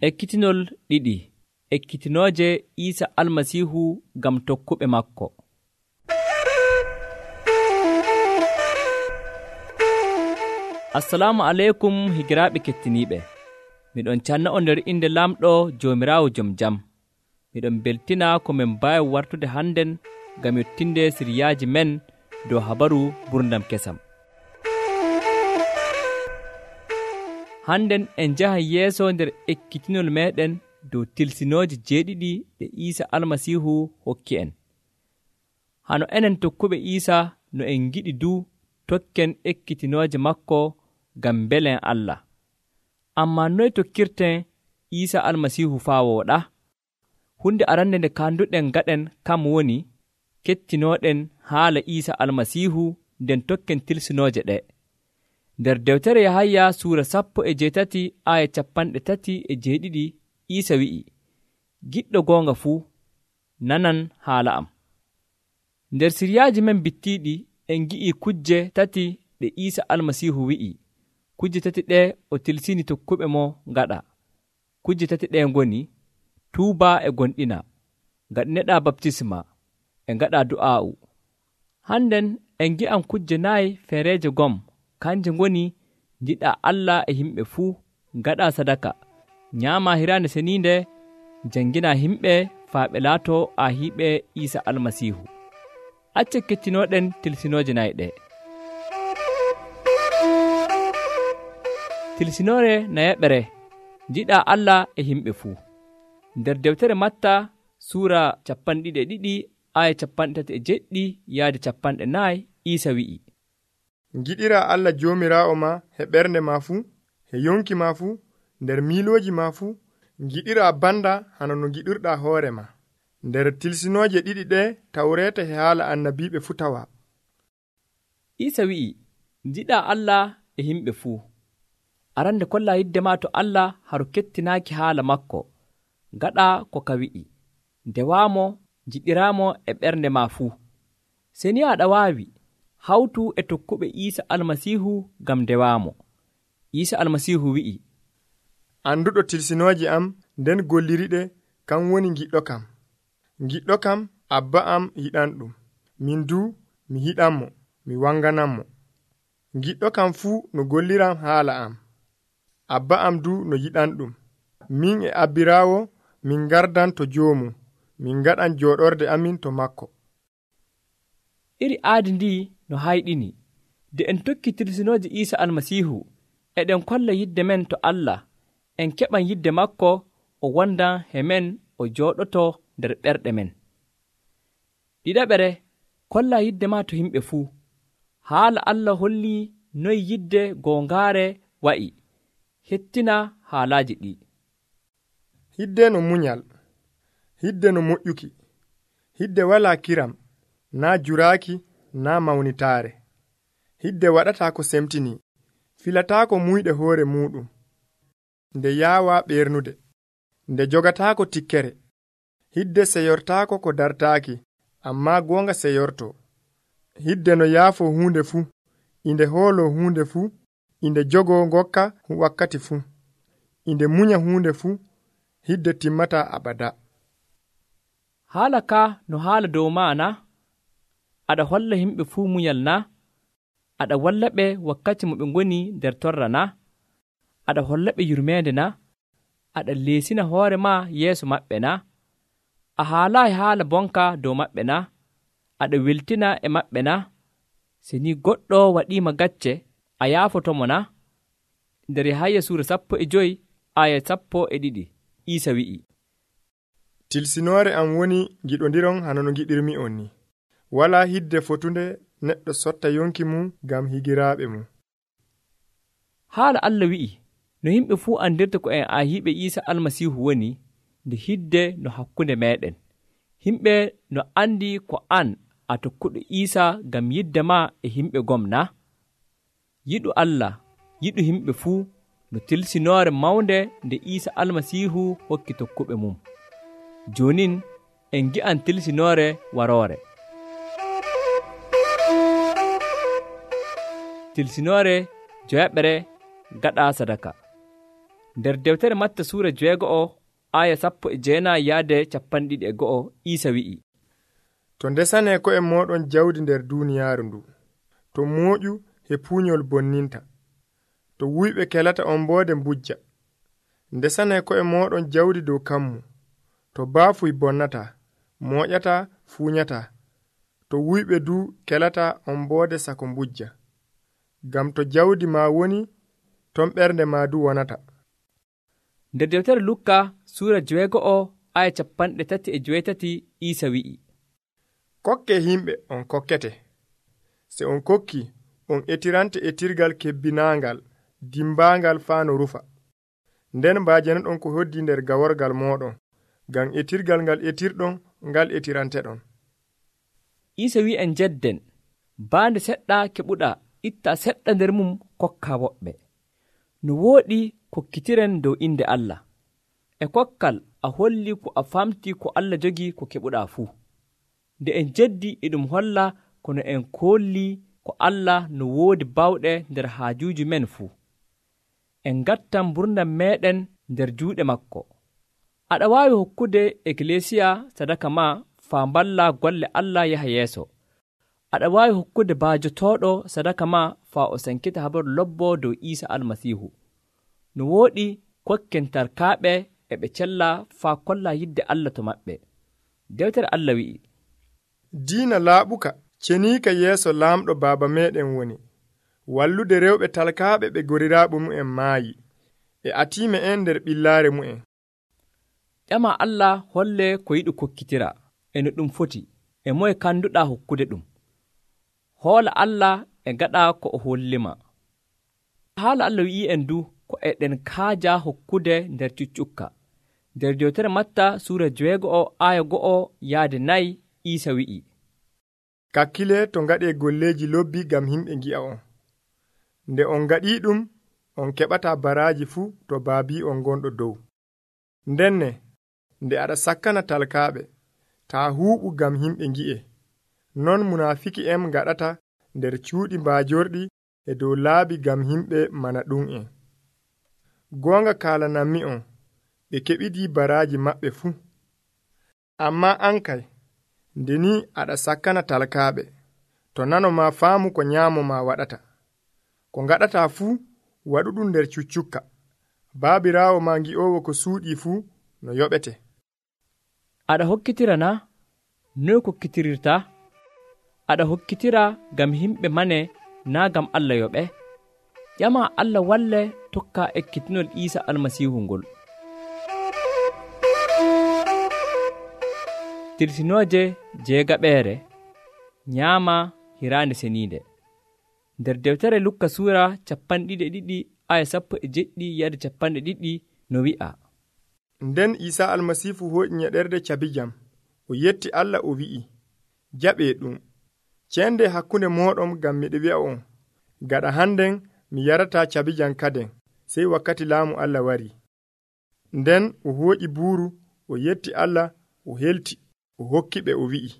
Ekkitinol ɗiɗi. Ekkitinooje Iisa Almasiihu ngam tokkuɓe makko. Assalamu aleykum higiraaɓe kettiniiɓe. Miɗon canna on nder inde Lamɗo Joomiraawo jom jam. Miɗon beltina ko min mbaawi wartude hannden ngam yottinde siriyaaji men dow habaru gurdam kesam. Hannden en njahan yeeso nder ekkitinol meeɗen dow tilsinooji jeeɗiɗi ɗe Iisa Almasiihu hokki en. Hano enen tokkuɓe Iisa no en ngiɗi du tokken ekkitinooje makko ngam mbelen Allah. Ammaa noye tokkirten Iisa Almasiihu faa wooɗa? Hunde arande nde kaanduɗen gaɗen kam woni kettinooɗen haala Iisa Almasiihu nden tokken tilsinooje ɗe. Nder dewtere Yahaya suura 17 aya 37 Iisa wi'i, giɗɗo goonga fuu, nanan haala am. Nder siryaaji men bittiiɗi en gi'ii kujje tati ɗe Iisa Almasiihu wi'i. Kujje tati ɗe o tilsini tokkuɓe mo ngaɗa. Kujje tati ɗe ngoni tuuba e gonɗina, ngaɗineɗa baptisma, e ngaɗa du'aa'u. Hannden en gi'an kujje 4 feereeje gom, kanje ngoni njiɗa Allah e yimɓe fuu, ngaɗa sadaka, nyaama hiraande seniinde, janngina yimɓe faa ɓe laato ahiiɓe Iisa Almasiihu. Acce kettinooɗen tilsinooje 4 ɗe. Tilsinoore nayaɓere, njiɗa Allah e yimɓe fuu. Nder dewtere Matta suura 22 aya 37 yaade 40 Iisa wi'i, ngiɗira Allah joomiraawo ma he ɓernde ma fuu, he yonki ma fuu, nder miilooji ma fuu, ngiɗira banda hano no ngiɗirɗa hoore ma. Nder tilsinooje 2 ɗe tawreeta he haala annabiiɓe fuu tawa. Iisa wi'i, njiɗa Allah e yimɓe fuu. Arande kolla yidde ma to Allah haru kettinaaki haala makko. Gaɗa ko ka wi'i, ndewaamo, njiɗiraamo e ɓernde ma fuu. Seni aɗa waawi hawtu e tokkuɓe Iisa Almasiihu ngam ndewaamo. Iisa Almasiihu wi'i, anduɗo tilsinooje am nden golliriɗe, kan woni giɗɗo kam. Giɗɗo kam abba am yiɗan ɗum, min du mi yiɗanmo, mi wangananmo. Giɗɗo kam fuu no golliram haala am, abba am du no yiɗan ɗum. Min e abbiraawo min gardan to joomum, min gaɗan jooɗorde amin to makko. Iri aadi ndi no hayɗini, de en tokki tilsinooje Iisa Almasiihu, eɗen kolla yidde men to Allah, en keɓan yidde makko o wondan he men, o jooɗoto nder ɓerɗe men. Ɗiɗaɓere, kolla yidde ma to yimɓe fuu. Haala Allah holli noy yidde goongaare wa'i. Hettina haalaaji ɗi. Hidde no munyal, hidde no moƴƴuki, hidde walaa kiram, naa juraaki, naa mawnitaare. Hidde waɗataa ko semtini, filataako muyɗe hoore muuɗum, nde yaawaa ɓernude, nde jogataako tikkere. Hidde seyortaako ko dartaaki, ammaa goonga seyortoo. Hidde no yaafoo huunde fuu, inde hooloo huunde fuu, inde jogoo ngokka wakkati fuu, inde munya huunde fuu. Hidde timmataa abada. Haala ka no haala dow maa na? Aɗa holla yimɓe fuu munyal na? Aɗa walla ɓe wakkati mo ɓe ngoni nder torra na? Aɗa holla ɓe yurmeende na? Aɗa leesina hoore maa yeeso maɓɓe na? A haalaayi haala bonka dow maɓɓe na? Aɗa weltina e maɓɓe na? Se ni goɗɗo waɗiima gacce, a yaafotomo na? Nder Yahaya suura 15 aya 12 Iisa wi'i, tilsinoore am woni giɗondiron hano no giɗirmi on ni. Walaa hidde fotunde neɗɗo sotta yonki mum ngam higiraaɓe mum. Haala Allah wi'i, no yimɓe fuu andirta ko en ahiiɓe Iisa Almasiihu woni, nde hidde no hakkunde meeɗen. Yimɓe no andi ko an a tokkuɗo Iisa ngam yidde ma e yimɓe gom na? Yiɗu Allah, yiɗu yimɓe fuu, no tilsinoore mawnde nde Iisa Almasiihu hokki tokkuɓe mum. Jonin en gi'an tilsinoore waroore. Tilsinoore joyaɓere gaɗa sadaka. Nder dewtere Matta suura 6 aya 19-21 Iisa wi'i, to ndesanee ko'e mooɗon jawdi nder duuniyaaru ndu, to mooƴu e puuñol bonninta, to wuyɓe kelata omboode mbujja. Ndesanee ko'e mooɗon jawdi dow kammu, to baafuy bonnata, mooƴata, fuuñata, to wuyɓe du kelata omboode sako mbujja. Ngam to jawdi ma woni, ton ɓernde ma du wonata. Nder dewtere Lukka suura 6 aya 38 Iisa wi'i, kokke himɓe on kokkete, se on kokki on etirante etirgal kebbinaangal dimbaangal faa no rufa. Nden mbaajanaɗon ko hoddi nder gaworgal mooɗon, ngam etirgal ngal etirɗon ngal etiranteɗon. Iisa wi'i en jedden, baande seɗɗa keɓuɗa itta seɗɗa nder mum kokka woɓɓe. No wooɗi kokkitiren dow inde Allah. E kokkal a holli ko a famti ko Allah jogi ko keɓuɗa fuu. Nde en jeddi e ɗum holla kono en kolli ko Allah no woodi bawɗe nder haajuuji men fuu. En ngattan mburnam meɗen nder juuɗe makko. Aɗa waawi hokkude eklesiya sadaka ma faa mballa golle Allah yaha yeeso. Aɗa waawi hokkude baajotooɗo sadaka ma faa o sankita habaru lobbo dow Iisa Almasiihu. No wooɗi kokken tarkaaɓe e ɓe cella faa kolla yidde Allah to maɓɓe. Dewtere Allah wi'i, diina laaɓuka ceniika yeeso laamɗo baaba meɗen woni, wallude rewɓe talkaaɓe ɓe goriraaɓe mu'en maayi, e atiime en nder ɓillaare mu'en. ƴama Allah holle ko yiɗi kokkitira e no ɗum foti, e moye kanduɗaa hokkude ɗum. Hoola Allah e gaɗa ko o hollima. Haala Allah wi'i en du ko eɗen kaaja hokkude nder cuccukka. Nder dewtere Matta suura 6 aya 1-4 Iisa wi'i, kakkile to ngaɗee golleeji lobbi ngam himɓe ngi'a on. Nde on ngaɗii ɗum, on keɓataa baraaji fuu to baabii on gonɗo dow. Ndenne, nde aɗa sakkana talkaaɓe, taa huuɓu ngam himɓe ngi'e. Non munaafiki en ngaɗata nder cuuɗi mbaajorɗi e dow laabi ngam himɓe mana ɗum'en. Goonga kaalanammi on, ɓe keɓidii baraaji maɓɓe fuu. Ammaa an kay, nde ni aɗa sakkana talkaaɓe, to nano ma faamu ko nyaamo ma waɗata. Ko ngaɗataa fuu, waɗu ɗum nder cuccukka. Baabiraawo ma ngi'oowo ko suuɗii fuu no yoɓete. Aɗa hokkitira na? Noy kokkitirirta? Aɗa hokkitira ngam himɓe mane naa ngam Allah yoɓe? ƴama Allah walle tokka ekkitinol Iisa Almasiihu ngol. Tirsinooje jeegaɓeere nyaama hiraande seniinde. Nder dewtere Lukka suura 2 aya 17-20 no wi'a, nden Iisa Almasiihu hoƴi nyeɗerde cabijam, o yetti Allah o wi'i, jaɓee ɗum, ceende hakkunde mooɗon ngam miɗe wi'a on, gaɗa hannden mi yarataa cabijam kaden, sey wakkati laamu Allah wari. Nden o hooƴi buuru, o yetti Allah, o helti, o hokki ɓe o wi'i,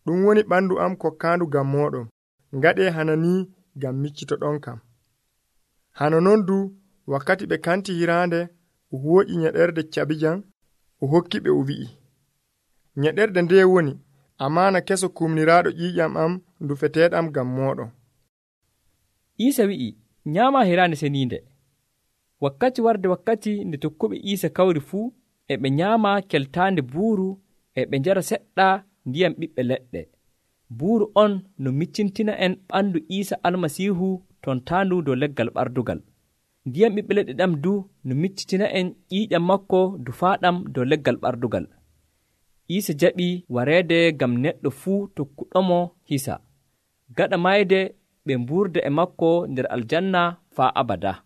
ɗum woni ɓandu am kokkaandu ngam mooɗon, ngaɗee hana ni ngam miccitoɗon kam. Hano non du wakkati ɓe kanti hiraande, o hooƴi nyeɗerde cabijam, o hokki ɓe o wi'i, nyeɗerde nde woni amaana keso kumniraaɗo ƴiiƴam am ndufeteeɗam ngam mooɗon. Iisa wi'i, nyaama hiraande seniinde. Wakkati warde wakkati nde tokkuɓe Iisa kawri fuu, e ɓe nyaama keltaande buuru, e ɓe njara seɗɗa ndiyam ɓiɓɓe leɗɗe. Buuru on no miccintina en ɓandu Iisa Almasiihu ton taandu dow leggal ɓardugal. Ndiyam ɓiɓɓe leɗɗe ɗam du no miccitina en ƴiiƴam makko dufaaɗam dow leggal ɓardugal. Iisa jaɓi wareede ngam neɗɗo fuu tokkuɗomo hisa. Gaɗa mayde ɓe mburda e makko nder aljanna faa abada.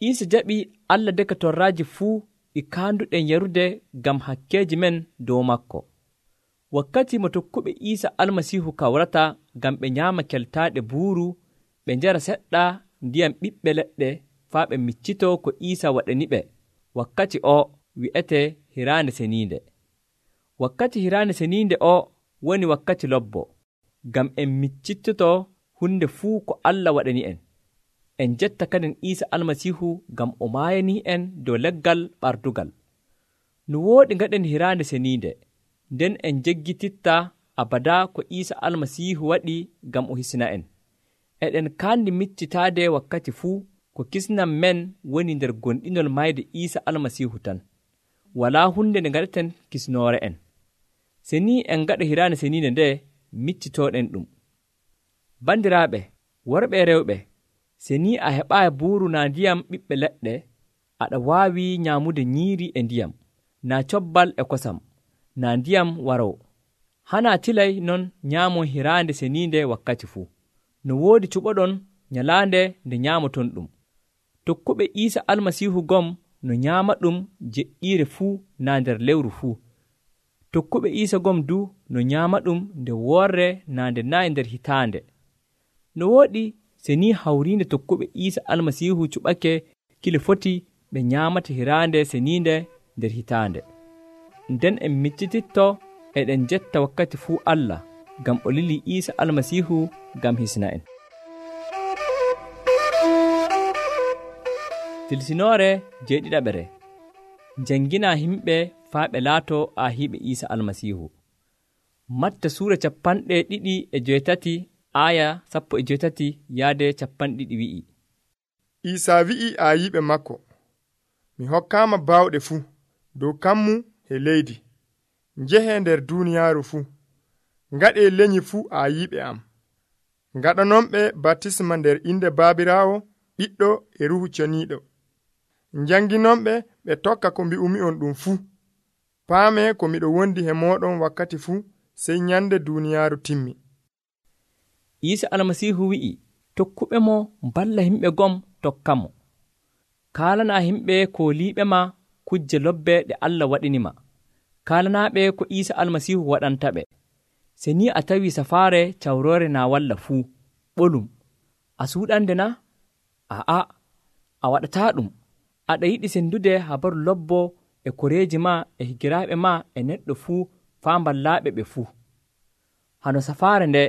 Iisa jaɓi Allah deka torraaji fuu ɗi kaanduɗen yarude ngam hakkeeji men dow makko. Wakkati mo tokkuɓe Iisa Almasiihu kawrata ngam ɓe nyaama keltaaɗe buuru, ɓe njara seɗɗa ndiyam ɓiɓɓe leɗɗe faa ɓe miccito ko Iisa waɗaniɓe. Wakkati o wi'ete hiraande seniinde. Wakkati hiraande seniinde o woni wakkati lobbo, ngam en miccitoto hunde fuu ko Allah waɗani en. en jetta kadin Iisa almasiihu ngam o maayanii en dow leggal ɓardugal. No wooɗi ngaɗen hiraande seniinde, nden en jeggititta abadaa ko Iisa almasiihu waɗi ngam o hisna en. Eɗen kaandi miccitaade wakkati fuu ko kisnam men woni nder gonɗinol mayde Iisa almasiihu tan. Walaa hunde nde ngaɗeten kisnoore en. Se ni en ngaɗa hiraande seniinde nde, miccitooɗen ɗum. Bandiraaɓe, worɓe e rewɓe, se ni a heɓaayi buuru naa ndiyam ɓiɓɓe leɗɗe, aɗa waawi nyaamude nyiiri e ndiyam, naa cobbal e kosam, naa ndiyam warow. Hanaa tilay non nyaamon hiraande seniinde wakkati fuu. No woodi cuɓoɗon nyalaande nde nyaamoton ɗum. Tokkuɓe Iisa almasiihu gom no nyaama ɗum jeɗɗiire fuu naa nder lewru fuu. Tokkuɓe Iisa gom du no nyaama ɗum nde worre naa nde nayi nder hitaande. No wooɗi se ni hawriinde tokkuɓe Iisa almasiihu cuɓake kile foti ɓe nyaamata hiraande seniinde nder hitaande. Nden en miccititto eɗen jetta wakkati fuu Allah ngam o lilii Iisa almasiihu ngam hisna en. Tilsinoore jeeɗiɗaɓere. Janngina himɓe faa ɓe laato aahiiɓe Iisa almasiihu. Matta suura 2:8 aaya 18 yaade 20 wi'i. Iisa wi'i aayiɓe makko, mi hokkaama baawɗe fuu dow kammu e leydi. Njehee nder duuniyaaru fuu, ngaɗee lenyol fuu aayiɓe am. Ngaɗanonɓe baptisma nder inde Baabiraawo, Ɓiɗɗo e Ruuhu Ceniiɗo. Njanginonɓe ɓe tokka ko mbi'umi'on ɗum fuu. Paamee ko miɗo wondi e mooɗon wakkati fuu, sey nyande duuniyaaru timmi. Iisa almasiihu wi'i, tokkuɓe mo mballa himɓe gom tokkamo. Kaalanaa himɓe kooliiɓe ma kujje lobbe ɗe Allah waɗinima. Kaalanaaɓe ko Iisa almasiihu waɗantaɓe. Se ni a tawi safaare cawroore naa walla fuu, ɓolum, a suuɗande na? Aa, a waɗataa ɗum. Aɗa yiɗi sendude habaru lobbo e koreeji ma e higiraaɓe ma e neɗɗo fuu faa mballaaɓe ɓe fuu. Hano safaare nde,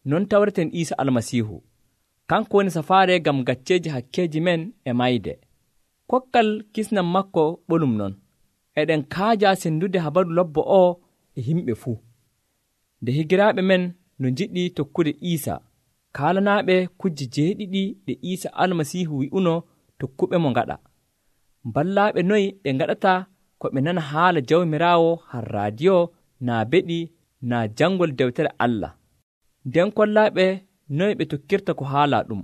non tawreten Iisa almasiihu. Kanko woni safaare ngam gacceeji hakkeeji men e mayde. Kokkal kisnam makko ɓolum non. Eɗen kaaja sendude habaru lobbo o e himɓe fuu. Nde higiraaɓe men no njiɗi tokkude Iisa, kaalanaaɓe kujje jeeɗiɗi ɗe Iisa almasiihu wi'uno tokkuɓe mo ngaɗa. Mballaaɓe noyi ɓe ngaɗata ko ɓe nana haala Jawmiraawo har raadiyo naa beɗi naa janngol dewtere Allah. Nden kollaaɓe noy ɓe tokkirta ko haala ɗum.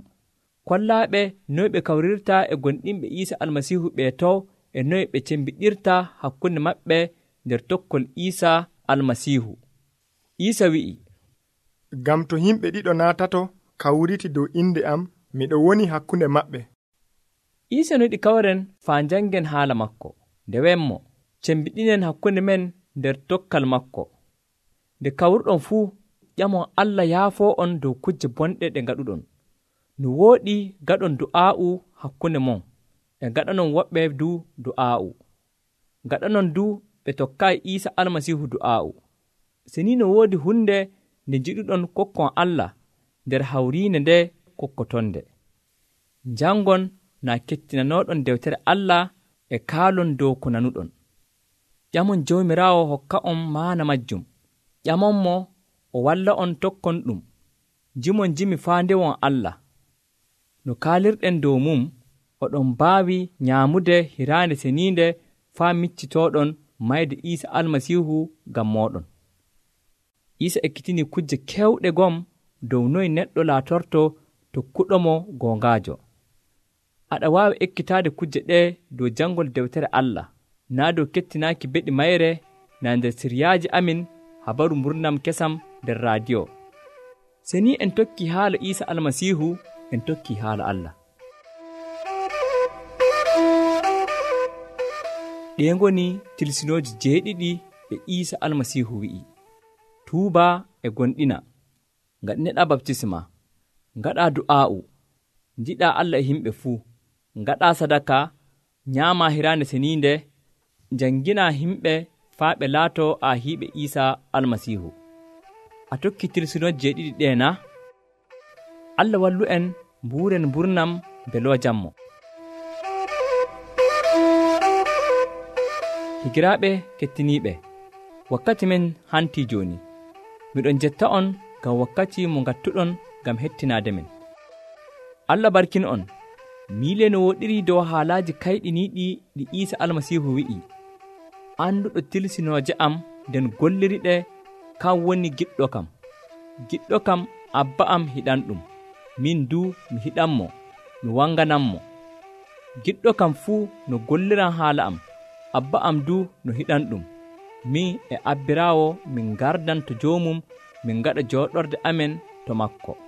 Kollaaɓe noy ɓe kawrirta e gonɗinɓe Iisa almasiihu ɓe to e noy ɓe cembiɗirta hakkunde maɓɓe nder tokkol Iisa almasiihu. Iisa wi'i, ngam to yimɓe ɗiɗo naatato kawriti dow inde am, miɗo woni hakkunde maɓɓe. Iisa no yiɗi kawren faa njanngen haala makko. Nde wemmo, cembiɗinen hakkunde men nder tokkal makko. Nde kawruɗon fuu, ƴamon Allah yaafoo on dow kujje bonɗe ɗe ngaɗuɗon. No wooɗi gaɗon du'aa'u hakkunde mon, e gaɗanon woɓɓe du du'aa'u. Gaɗanon du ɓe tokkaayi Iisa almasiihu du'aa'u. Se ni no woodi hunde nde njiɗuɗon kokkon Allah nder hawriinde nde kokkotonde. Njanngon naa kettinanooɗon dewtere Allah e kaalon dow ko nanuɗon. Ƴamon Jawmiraawo hokka on maana majjum. Ƴamon mo o walla on tokkon ɗum. Jimon jimi faa ndewon Allah. No kaalirɗen dow mum, oɗon mbaawi nyaamude hiraande seniinde faa miccitooɗon mayde Iisa almasiihu ngam mooɗon. Iisa ekkitini kujje kewɗe gom dow noy neɗɗo laatorto tokkuɗo mo goongaajo. Aɗa waawi ekkitaade kujje ɗe dow janngol dewtere Allah, naa dow kettinaaki beɗi mayre naa nder siryaaji amin habaru mburnam kesam nder raadiyo. Se ni en tokki haala Iisa almasiihu, en tokki haala Allah. Ɗe ngoni tilsinooji jeeɗiɗi ɗe Iisa almasiihu wi'i. Tuuba e gonɗina, ngaɗineɗaa baptisma, ngaɗaa du'aa'u, njiɗaa Allah e himɓe fuu, ngaɗaa sadaka, nyaamaa hiraande seniinde, njannginaa himɓe faa ɓe laato aahiiɓe Iisa almasiihu. A tokki tilsinooji jeeɗiɗi ɗe na? Allah wallu en mbuuren mburnam belowa jammo. Higiraaɓe kettiniiɓe, wakkati men hantii jooni. Miɗon jetta on ngam wakkati mo ngattuɗon ngam hettinaade men. Allah barkin on. Miile no woɗiri dow haalaaji kayɗiniiɗi ɗi Iisa Almasiihu wi'i. Anduɗo tilsinooje am nden golliriɗe, kan woni giɗɗo kam. Giɗɗo kam Abba am hiɗanɗum. Min duu mi hiɗanmo, mi wangananmo. Giɗɗo kam fuu no golliran haala am, Abba am duu no hiɗanɗum. Min e abbiraawo min gardan to joomum min gaɗa jooɗorde amen to maako.